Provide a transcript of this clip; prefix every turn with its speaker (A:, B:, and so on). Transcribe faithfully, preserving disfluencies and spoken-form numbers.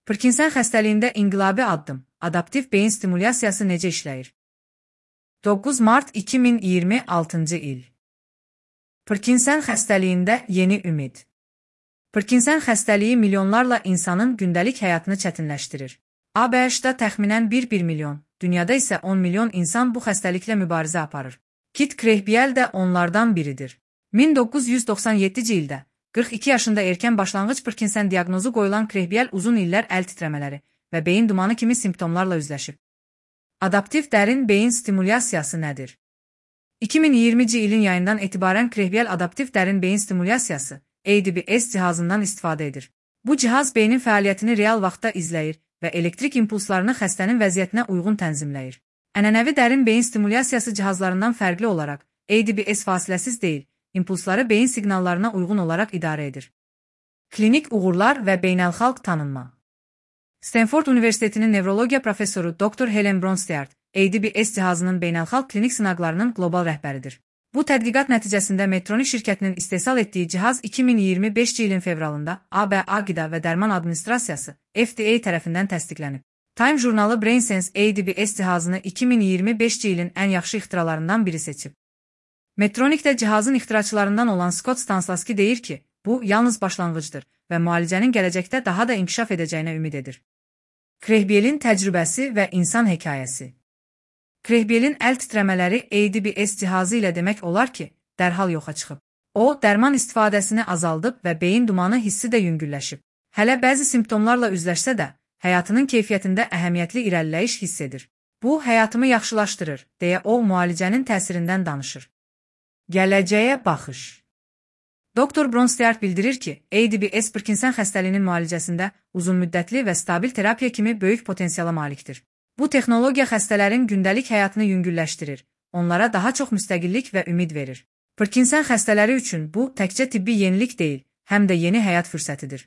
A: Parkinson xəstəliyində inqilabi addım, adaptiv beyin stimulyasiyası necə işləyir? doqquz mart iki min iyirmi altıncı il. Parkinson xəstəliyində yeni ümid. Parkinson xəstəliyi milyonlarla insanın gündəlik həyatını çətinləşdirir. A B H-da təxminən bir milyon, dünyada isə on milyon insan bu xəstəliklə mübarizə aparır. Kit Krehbiel də onlardan biridir. min doqquz yüz doxsan yeddinci ildə qırx iki yaşında erkən başlanğıc Parkinson diaqnozu qoyulan Krehbiel uzun illər əl titrəmələri və beyin dumanı kimi simptomlarla üzləşib. Adaptiv dərin beyin stimulyasiyası nədir? iki min iyirminci ilin yayından etibarən Krehbiel adaptiv dərin beyin stimulyasiyası A D B S cihazından istifadə edir. Bu cihaz beynin fəaliyyətini real vaxtda izləyir və elektrik impulslarını xəstənin vəziyyətinə uyğun tənzimləyir. Ənənəvi dərin beyin stimulyasiyası cihazlarından fərqli olaraq A D B S fasiləsiz deyil, impulsları beyin siqnallarına uyğun olaraq idarə edir. Klinik uğurlar və beynəlxalq tanınma. Stanford Universitetinin nevrologiya professoru doktor Helen Bronsteart, A D B S cihazının beynəlxalq klinik sınaqlarının qlobal rəhbəridir. Bu tədqiqat nəticəsində Medtronic şirkətinin istehsal etdiyi cihaz iki min iyirmi beşinci ilin fevralında A B A Qida və Dərman Administrasiyası F D A tərəfindən təsdiqlənib. Time jurnalı BrainSense A D B S cihazını iki min iyirmi beşinci ilin ən yaxşı ixtiralarından biri seçib. Medtronicdə cihazın ixtiraçılarından olan Scott Stanslasky deyir ki, bu yalnız başlanğıcdır və müalicənin gələcəkdə daha da inkişaf edəcəyinə ümid edir. Krehbielin təcrübəsi və insan hekayəsi. Krehbielin əl titrəmələri A D B S cihazı ilə demək olar ki, dərhal yoxa çıxıb. O, dərman istifadəsini azaldıb və beyin dumanı hissi də yüngülləşib. Hələ bəzi simptomlarla üzləşsə də, həyatının keyfiyyətində əhəmiyyətli irəliləyiş hiss edir. Bu, həyatımı yaxşılaşdırır, deyə o, müalicənin təsirindən danışır. Gələcəyə baxış. doktor Bronsteart bildirir ki, A D B S Parkinson xəstəliyinin müalicəsində uzunmüddətli və stabil terapiya kimi böyük potensiala malikdir. Bu texnologiya xəstələrin gündəlik həyatını yüngülləşdirir, onlara daha çox müstəqillik və ümid verir. Parkinson xəstələri üçün bu təkcə tibbi yenilik deyil, həm də yeni həyat fürsətidir.